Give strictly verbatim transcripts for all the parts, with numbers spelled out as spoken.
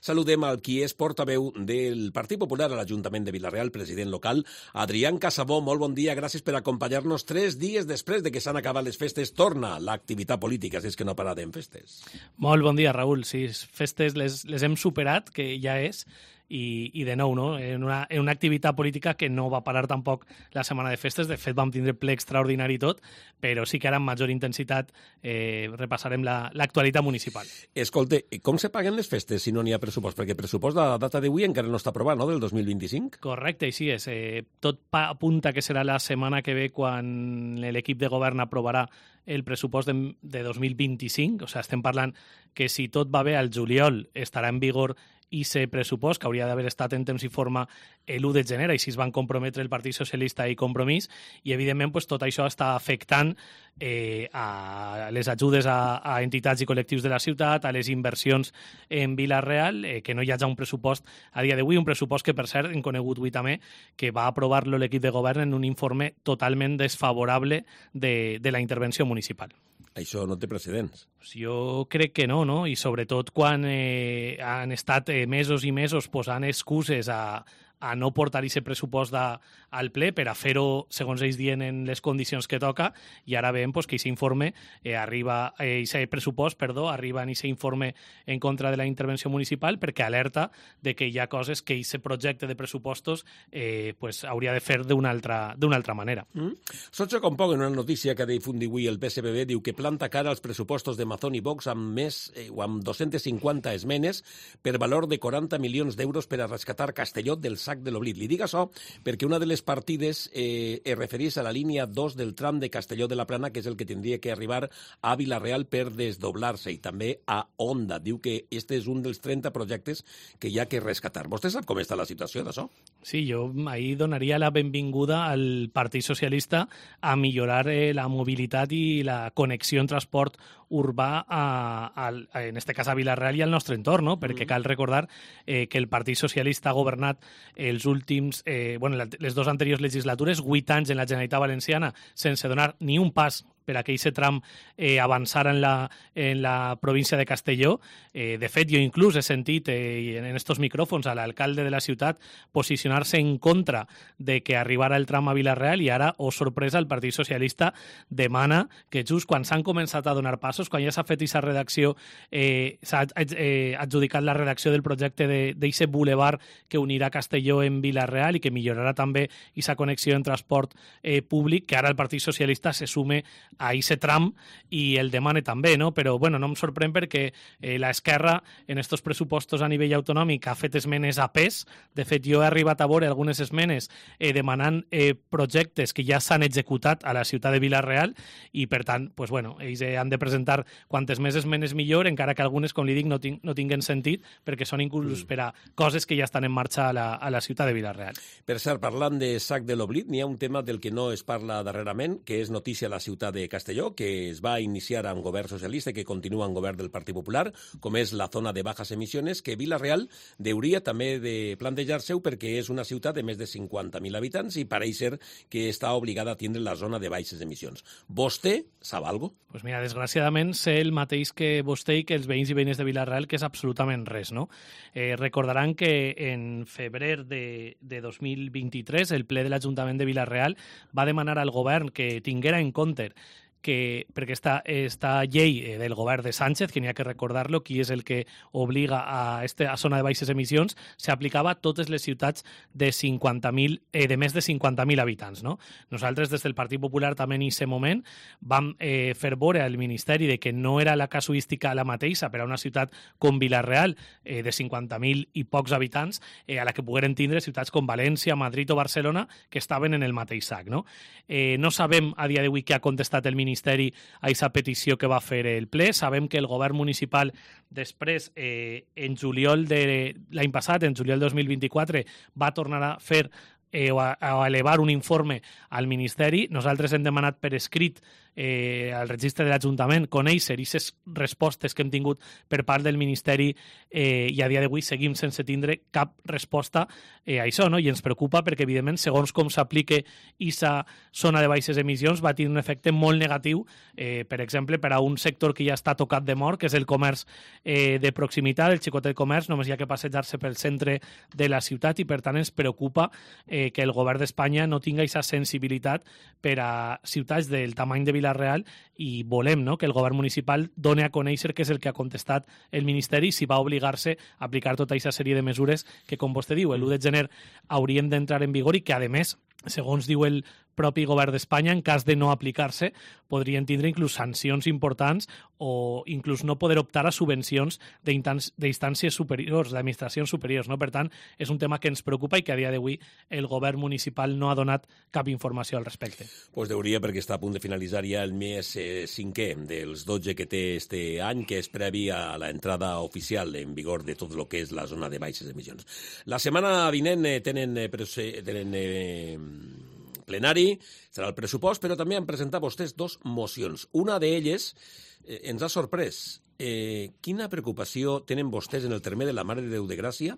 Saludem al qui és portaveu del Partit Popular a l'Ajuntament de Vila-real, president local, Adrián Casabó. Molt bon dia, gràcies per acompanyar-nos. Tres dies després de que s'han acabat les festes, torna l'activitat política, si és que no pararem festes. Molt bon dia, Raül. Sí, festes les, les hem superat, que ja és, i, i de nou, no? En una, en una activitat política que no va parar tampoc la setmana de festes. De fet, vam tindre ple extraordinari i tot, però sí que ara amb major intensitat eh, repassarem l'actualitat la, municipal. Escolta, com se paguen les festes si no n'hi ha pressupost? Perquè el pressupost de la data d'avui encara no està aprovat, no?, del dos mil vint-i-cinc? Correcte, així és. Eh, tot apunta que serà la setmana que ve quan l'equip de govern aprovarà el pressupost de, de dos mil vint-i-cinc. O sigui, estem parlant que si tot va bé al juliol estarà en vigor i ese pressupost, que hauria d'haver estat en temps i forma l'u de gener, i si es van comprometre el Partit Socialista i Compromís, i evidentment pues, tot això està afectant eh, a les ajudes a, a entitats i col·lectius de la ciutat, a les inversions en Vila-real, eh, que no hi hagi un pressupost a dia d'avui, un pressupost que, per cert, hem conegut avui també, que va aprovar-lo l'equip de govern en un informe totalment desfavorable de, de la intervenció municipal. Això no té precedents. Jo crec que no, no? I sobretot quan eh, han estat eh, mesos i mesos posant excuses a, a no portar aquest pressupost de, al ple per a fer-ho, segons ells diuen, en les condicions que toca, i ara veiem pues, que aquest informe eh, arriba, eh, aquest pressupost, perdó, arriba en aquest informe en contra de la intervenció municipal perquè alerta de que hi ha coses que aquest projecte de pressupostos eh, pues, hauria de fer d'una altra, d'una altra manera. Mm. Sots com poc en una notícia que ha difundir avui el P S B B, diu que planta cara als pressupostos de Mazón i Vox amb més eh, o amb dos-centes cinquanta esmenes per valor de quaranta milions d'euros per a rescatar Castelló del sac de l'oblit. Li dic això perquè una de les partides eh, es refereix a la línia dos del tram de Castelló de la Plana, que és el que tindria que arribar a Vila-real per desdoblar-se, i també a Onda. Diu que este és un dels trenta projectes que hi ha que rescatar. Vostè sap com està la situació d'això? Sí, jo ahir donaria la benvinguda al Partit Socialista a millorar eh, la mobilitat i la connexió en transport urbà a, a, en este cas a Vila-real i al nostre entorn, no? Perquè cal recordar eh, que el Partit Socialista ha governat els últims, eh, bueno, les dues anteriors legislatures, vuit anys en la Generalitat Valenciana sense donar ni un pas per a que aquest tram eh, avançara en la, en la província de Castelló. Eh, de fet, jo inclús he sentit eh, en estos micròfons a l'alcalde de la ciutat posicionar-se en contra de que arribara el tram a Vila-real, i ara, oh sorpresa, el Partit Socialista demana que just quan s'han començat a donar passos, quan ja s'ha fet aquesta redacció, eh, s'ha eh, adjudicat la redacció del projecte d'aquest boulevard que unirà Castelló en Vila-real i que millorarà també aquesta connexió en transport eh, públic, que ara el Partit Socialista se sume a aquest tram i el demana també, no? Però bueno, no em sorprèn perquè eh, l'esquerra en estos pressupostos a nivell autonòmic ha fet esmenes a pes. De fet, jo he arribat a veure algunes esmenes eh, demanant eh, projectes que ja s'han executat a la ciutat de Vila-real, i per tant, pues, bueno, ells eh, han de presentar quantes més esmenes millor, encara que algunes, com li dic, no, ting no tinguen sentit perquè són inclús mm. per a coses que ja estan en marxa a la, a la ciutat de Vila-real. Per cert, parlant de sac de l'oblit, n'hi ha un tema del que no es parla darrerament, que és notícia a la ciutat de Castelló, que es va iniciar amb govern socialista i que continua en govern del Partit Popular, com és la zona de bajas emisiones, que Vila-real hauria també de plantejar-se-ho perquè és una ciutat de més de cinquanta mil habitants i pareix ser que està obligada a tindre la zona de baixes emissions. Vostè sap alguna cosa? Pues mira, desgraciadament sé el mateix que vostè i que els veïns i veïnes de Vila-real, que és absolutament res, no? Eh, recordaran que en febrer de, de dos mil vint-i-tres el ple de l'Ajuntament de Vila-real va demanar al govern que tinguera en compte que, perquè esta, esta llei del govern de Sánchez, que n'hi ha que recordar-lo, qui és el que obliga a esta zona de baixes emissions, s'aplicava a totes les ciutats de, cinquanta mil, eh, de més de cinquanta mil habitants. No? Nosaltres, des del Partit Popular, també en aquest moment vam eh, fer veure al Ministeri de que no era la casuística la mateixa per a una ciutat com Vila-real, eh, de cinquanta mil i pocs habitants, eh, a la que pogueren tindre ciutats com València, Madrid o Barcelona, que estaven en el mateix sac. No, eh, no sabem a dia d'avui què ha contestat el Ministeri Ministeri a aquesta petició que va fer el ple. Sabem que el govern municipal després, eh, en juliol de l'any passat, en juliol dos mil vint-i-quatre, va tornar a fer eh, o, a, o a elevar un informe al Ministeri. Nosaltres hem demanat per escrit eh, al registre de l'Ajuntament, conèixer aquestes respostes que hem tingut per part del Ministeri eh, i a dia d'avui seguim sense tindre cap resposta eh, a això, no? I ens preocupa perquè, evidentment, segons com s'aplique aquesta zona de baixes emissions, va tenir un efecte molt negatiu, eh, per exemple, per a un sector que ja està tocat de mort, que és el comerç eh, de proximitat, el xicotet comerç, només hi ha que passejar-se pel centre de la ciutat i, per tant, ens preocupa eh, que el govern d'Espanya no tinga aquesta sensibilitat per a ciutats del tamany de Vila-real i volem, no?, que el govern municipal doni a conèixer què és el que ha contestat el Ministeri si va obligar-se a aplicar tota aquesta sèrie de mesures que, com vostè diu, l'u de gener haurien d'entrar en vigor i que, a més, segons diu el propi govern d'Espanya, en cas de no aplicar-se, podrien tindre inclús sancions importants o inclús no poder optar a subvencions d'instàncies superiors, d'administracions superiors. No? Per tant, és un tema que ens preocupa i que a dia d'avui el govern municipal no ha donat cap informació al respecte. Pues deuria, perquè està a punt de finalitzar ja el mes eh, cinquè dels dotze que té este any, que és previ a la entrada oficial en vigor de tot el que és la zona de baixes emissions. La setmana vinent eh, tenen, eh, tenen eh, plenari, serà el pressupost, però també han presentat vostès dos mocions. Una d'elles eh, ens ha sorprès. Eh, quina preocupació tenen vostès en el terme de la Mare de Déu de Gràcia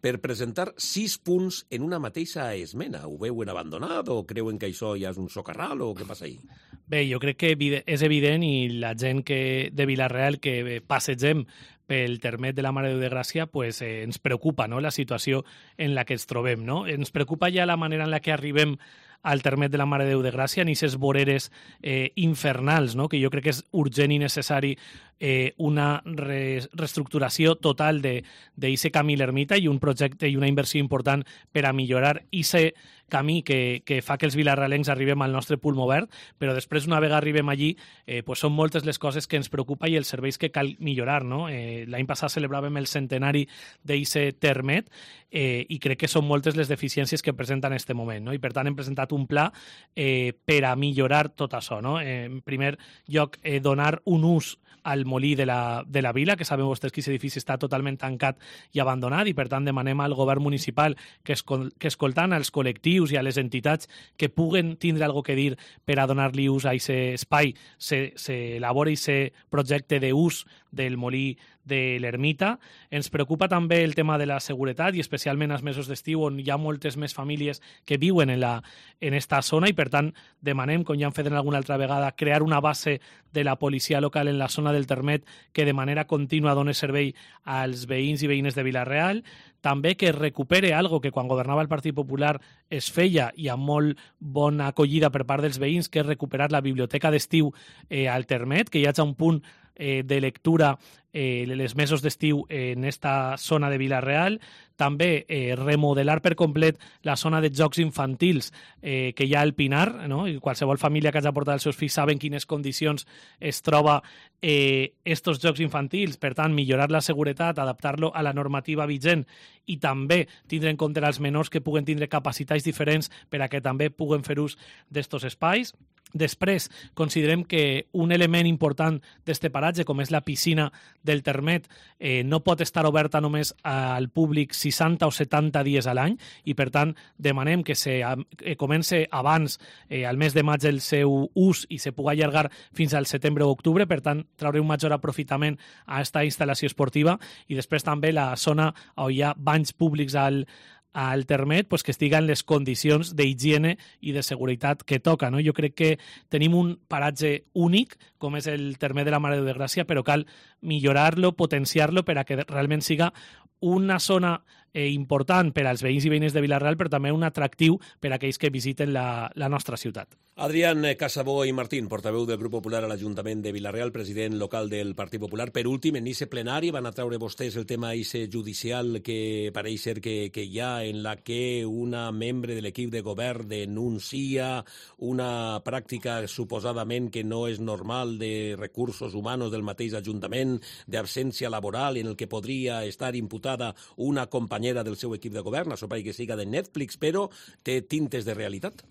per presentar sis punts en una mateixa esmena? Ho veuen abandonat o creuen que això ja és un socarral o què passa ahí? Bé, jo crec que és evident i la gent que de Vila-real que passegem pel termet de la Mare de Déu de Gràcia pues, eh, ens preocupa, no?, la situació en la que ens trobem. No? Ens preocupa ja la manera en la que arribem al termet de la Mare de Déu de Gràcia, en aquestes voreres eh, infernals, no? Que jo crec que és urgent i necessari eh, una re reestructuració total d'aquest camí l'Ermita i un projecte i una inversió important per a millorar aquest camí que, que fa que els vilarralencs arribem al nostre pulmó verd, però després, una vegada arribem allí, eh, pues són moltes les coses que ens preocupa i els serveis que cal millorar. No? Eh, L'any passat celebràvem el centenari d'aquest termet eh, i crec que són moltes les deficiències que presenta en aquest moment. No? I per tant hem presentat un pla eh, per a millorar tot això. No? Eh, en primer lloc, eh, donar un ús al molí de la, de la vila, que sabeu vostès que aquest edifici està totalment tancat i abandonat i per tant demanem al govern municipal que, escol que escoltant als col·lectius i a les entitats que puguen tindre alguna que dir per a donar-li ús a aquest espai, s'elabora aquest projecte d'ús del molí de l'Ermita. Ens preocupa també el tema de la seguretat i especialment als mesos d'estiu on hi ha moltes més famílies que viuen en, la, en esta zona i per tant demanem, com ja han fet en alguna altra vegada, crear una base de la policia local en la zona del termet que de manera contínua doni servei als veïns i veïnes de Vila-real. També que recupere algo que quan governava el Partit Popular es feia i amb molt bona acollida per part dels veïns, que és recuperar la biblioteca d'estiu eh, al termet, que hi hagi un punt eh, de lectura eh, les mesos d'estiu en esta zona de Vila-real. També eh, remodelar per complet la zona de jocs infantils eh, que hi ha al Pinar, no? I qualsevol família que hagi portat els seus fills saben quines condicions es troba eh, estos jocs infantils. Per tant, millorar la seguretat, adaptar-lo a la normativa vigent i també tindre en compte els menors que puguen tindre capacitats diferents per a que també puguen fer ús d'estos espais. Després, considerem que un element important d'este paratge, com és la piscina del termet, eh, no pot estar oberta només al públic seixanta o setanta dies a l'any i, per tant, demanem que se eh, comence abans, eh, al mes de maig, el seu ús i se pugui allargar fins al setembre o octubre, per tant, traure un major aprofitament a aquesta instal·lació esportiva i després també la zona on hi ha banys públics al al termet, pues, que estiguen les condicions d'higiene i de seguretat que toca. No? Jo crec que tenim un paratge únic, com és el termet de la Mare de Déu de Gràcia, però cal millorar-lo, potenciar-lo per a que realment siga una zona eh, important per als veïns i veïnes de Vila-real, però també un atractiu per a aquells que visiten la, la nostra ciutat. Adrián Casabó i Martín, portaveu del Grup Popular a l'Ajuntament de Vila-real, president local del Partit Popular. Per últim, en aquest plenari van a treure vostès el tema ese judicial que pareix ser que, que hi ha, en la que una membre de l'equip de govern denuncia una pràctica suposadament que no és normal de recursos humans del mateix Ajuntament, d'absència laboral, en el que podria estar imputada una companyera del seu equip de govern, això pareix que siga de Netflix, però té tintes de realitat.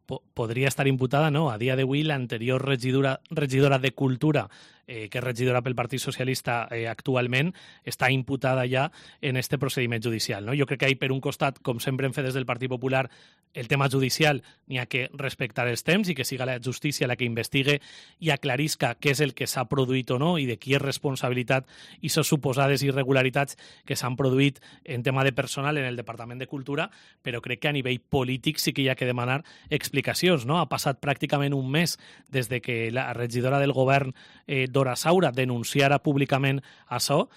Podria estar imputada, no. A dia d'avui, l'anterior regidora, regidora de Cultura eh, que és regidora pel Partit Socialista eh, actualment, està imputada ja en este procediment judicial. No? Jo crec que hi, per un costat, com sempre hem fet des del Partit Popular, el tema judicial n'hi ha que respectar els temps i que siga la justícia la que investigue i aclarisca què és el que s'ha produït o no i de qui és responsabilitat i les suposades irregularitats que s'han produït en tema de personal en el Departament de Cultura, però crec que a nivell polític sí que hi ha que demanar explicacions. No? Ha passat pràcticament un mes des de que la regidora del govern, eh, Dora Saura, denunciara públicament això,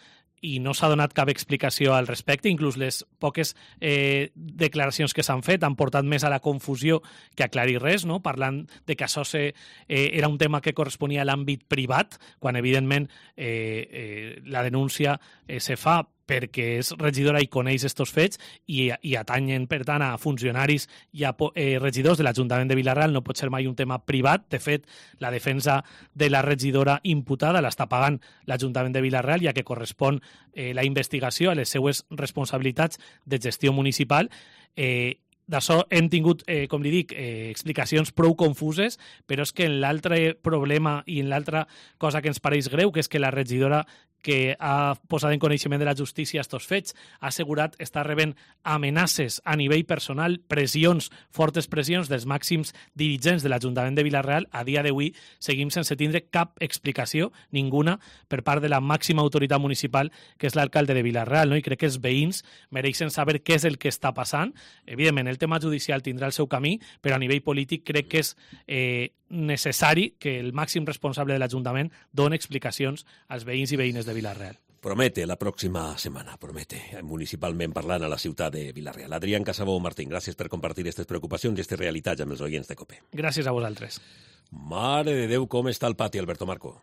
i no s'ha donat cap explicació al respecte. Inclús les poques eh, declaracions que s'han fet han portat més a la confusió que a aclarir res, no? Parlant de que això se, eh, era un tema que corresponia a l'àmbit privat, quan evidentment eh, eh, la denúncia eh, se fa perquè és regidora i coneix estos fets i, i atanyen, per tant, a funcionaris i a eh, regidors de l'Ajuntament de Vila-real. No pot ser mai un tema privat. De fet, la defensa de la regidora imputada l'està pagant l'Ajuntament de Vila-real, ja que correspon eh, la investigació a les seues responsabilitats de gestió municipal. Eh, D'això hem tingut, eh, com li dic, eh, explicacions prou confuses, però és que en l'altre problema i en l'altra cosa que ens pareix greu, que és que la regidora que ha posat en coneixement de la justícia estos fets, ha assegurat estar rebent amenaces a nivell personal, pressions, fortes pressions dels màxims dirigents de l'Ajuntament de Vila-real. A dia d'avui seguim sense tindre cap explicació, ninguna, per part de la màxima autoritat municipal, que és l'alcalde de Vila-real, no? I crec que els veïns mereixen saber què és el que està passant. Evidentment, el tema judicial tindrà el seu camí, però a nivell polític crec que és eh, necessari que el màxim responsable de l'Ajuntament doni explicacions als veïns i veïnes de Vila-real. Promete la pròxima setmana, promete, municipalment parlant a la ciutat de Vila-real. Adrián Casabó Martín, gràcies per compartir aquestes preocupacions i aquestes realitats amb els oients de COPE. Gràcies a vosaltres. Mare de Déu, com està el pati, Alberto Marco?